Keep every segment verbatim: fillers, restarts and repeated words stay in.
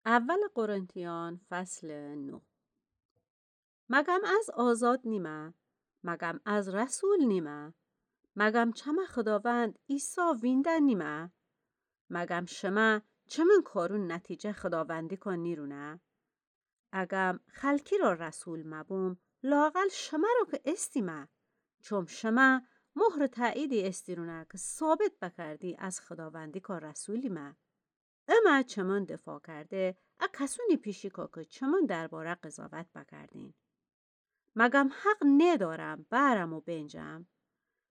اول قرنتیان فصل نه. مگم از آزاد نیمه؟ مگم از رسول نیمه؟ مگم چمه خوداوند عیسی وینده نیمه؟ مگم شمه چمن کارون نتیجه خوداوندیکا نیرونه؟ اگم خلکی را رسول مبوم، لااقل شمه را که استیمه، چون شمه مهر تأییدی استیرونه که ثابت بکردی از خوداوندیکا رسولیمه. امه چمن دفاع کرده، ا کسونی پیشیکا که چمن درباره قضاوت بکردین. مگم حق نیدارم بأرم و بینجم؟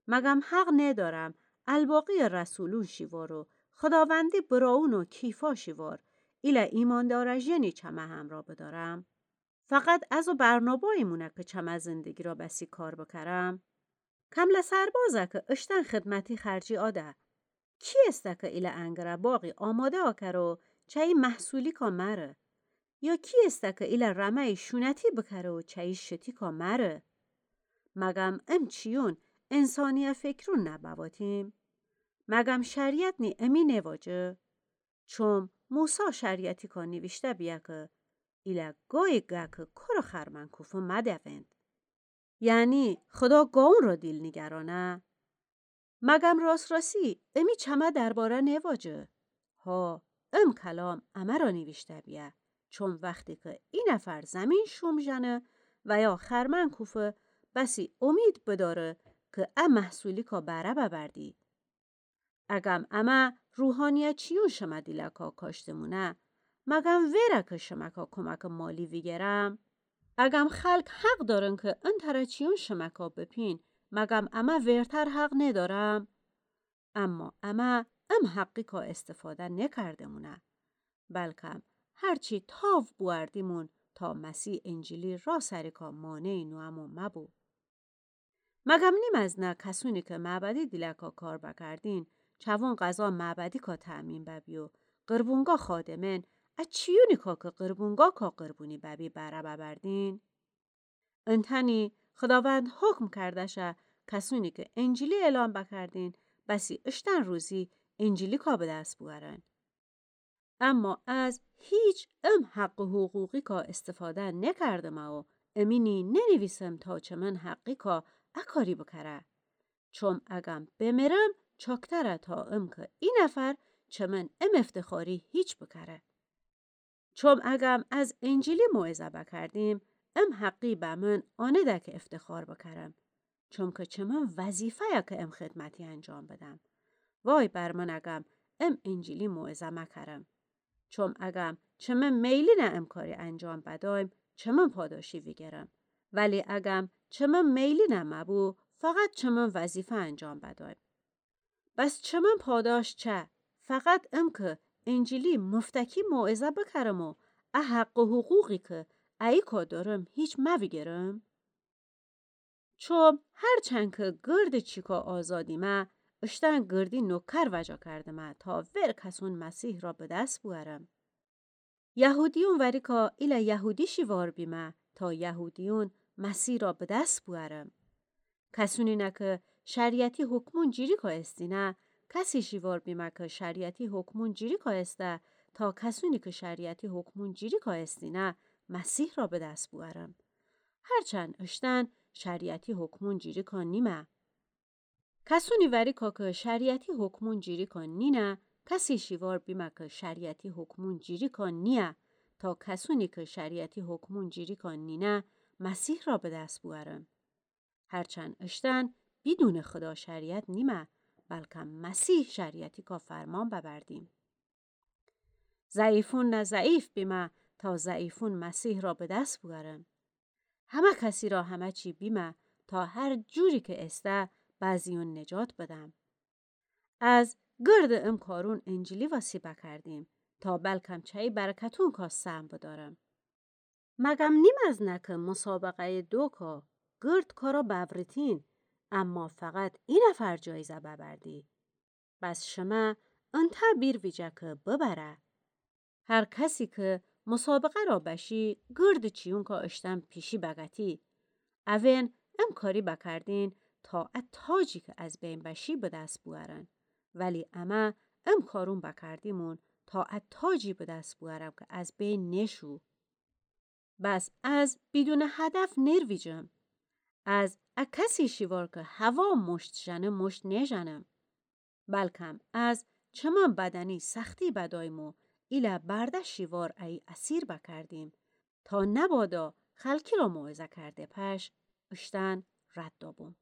مگم حق نیدارم الباقی رسولون شیوار و خوداوندی برائون و کیفا شیوار، ایله ایماندارٚ ژنی چمه همرا بدارم؟ فقط از او برنابایی مونه که چمه زندگی را بسی کار بکرم؟ کمله سربازه که اشتن خدمتی خرجی آده. کی استه که ایله انگره باغی آماده آکره و چه‌یی محصولیکا مأره؟ یا کی استه که ایله رمه‌یی شونتی بکره و چه‌یی شتیکا مأره؟ مگم ام چیون انسانیه فکرون نبواتیم؟ مگم شریعت نی امی نیواجه؟ چوم موسی شریعتیکا نیویشته بیه که ایله گای گه که کره خرمن کوفه مدوئند. یعنی خدا گاون را دیل نیگرانه؟ مگم راس‌راسی امی چمه درباره نیواجه؟ ها، ام کلام امه را نیویشته بیه، چون وختی که ای نفر زمین شوم ژنه و یا خرمن کوفه، بسی امید بداره که ا محصولیکا بهره ببردی. اگم امه روحانیه چیون شمه دیلکا کاشته مونه، مگم ویره که شمکا کمک مالی ویگرم؟ اگم خلق حق دارن که ان تره چیون شمکا بپین، مگم امه ویرتر حق نیدارم؟ اما امه ام حقیکا استفاده نیکرده مونه، بلکم هرچی تاو بوأردیمون تا مسیح انجیلی را سریکا مانعی نوأمو مبو. مگم نیم از نه کسونی که معبدی دیلکا کار بکردین، چوون غذا معبدیکا تأمین ببی و قربونگا خادمن ا چیونیکا که قربونگاکا قربونی ببی بهره ببردین؟ انتأنی خداوند حکم کرده شه کسونی که انجیلی اعلان بکردین، بسی اشتن روزی انجیلیکا به دس بوأرن. اما از هیچ ام حق و حقوقیکا استفاده نکردمه و امینی ننیویسم تا چمن حقیکا ا کاری بکره. چوم اگم بمیرم چاکتره تا ام که ای نفر چمن ام افتخاری هیچ بکره. چوم اگم از انجیلی موعظه بکردیم، ام حقی بمن آنده که افتخار بکرم. چوم که چمن وظیفه‌یه که ام خدمتی انجام بدم. وای بر من اگم ام انجیلی موعظه مکرم. چوم اگم چمن میلینه ام کاری انجام بدایم، چمن پاداشی ویگرم. ولی اگم چمن میلینه مبو، فقط چمن وظیفه انجام بدایم. بس چمن پاداش چه؟ فقط ام که انجیلی مفتکی موعظه بکرم و ا حق و حقوقی که ایکا دارم هیچ مویگرم؟ چوم هرچند که گرد چیکا آزادیمه، اشتن گردی نوکر وجا کردمه تا ور کسون مسیح را به دس بوأرم. یهودیون وریکا ایله یهودی شیوار بیمه تا یهودیون مسیح را به دس بوأرم. کسونی نه که شریعتی حکمون جیریکا استینه، کسی شیوار بیمه که شریعتی حکمون جیریکا استه تا کسونی که شریعتی حکمون جیریکا استینه مسیح را به دس بوأرم. هرچند اشتن شریعتی حکمون جیریکا نیمه. کسونی وریکا که شریعتی حکمون جیریکا نینه، کسی شیوار بیمه که شریعتی حکمون جیریکا نییه، تا کسونی که شریعتی حکمون جیریکا نینه مسیح را به دس بوأرم. هرچند اشتن بیدون خدا شریعت نیمه، بلکم مسیح شریعتیکا فرمان ببردیم. ضعیفون نه ضعیف بیمه تا ضعیفون مسیح را به دس بوأرم. همه کسی را همه چی بیمه تا هر جوری که استه بعضیون نجات بدم. از گرد ام کارون انجیلی وسی بکردیم تا بلکم چه‌یی برکتونکا سهم بدارم. مگم نیم از نه که مسابقه‌یٚ دوکا گرد کارا بأوریتین، اما فقط ای نفر جایزه ببردی. بس شمه انتأ بیر ویجه که ببره. هر کسی که مسابقه را بشی، گرد چیونکا اشتن پیشی بگتی. اوین ام کاری بکردین تا ا تاجی که از بین بشی به دس بوأرن. ولی امه ام کارون بکردیمون تا ا تاجی به دس بوأرم که از بین نشو. بس از بیدون هدف نیرویجم. از ا کسی شیوار که هوا مشت ژنه مشت نیژنم. بلکم از چمن بدنی سختی بدایم و ایله برده شیوار ای اسیر بکردیم تا نبادا خلکی را موعظه کرده پش اشتن رد دابوم.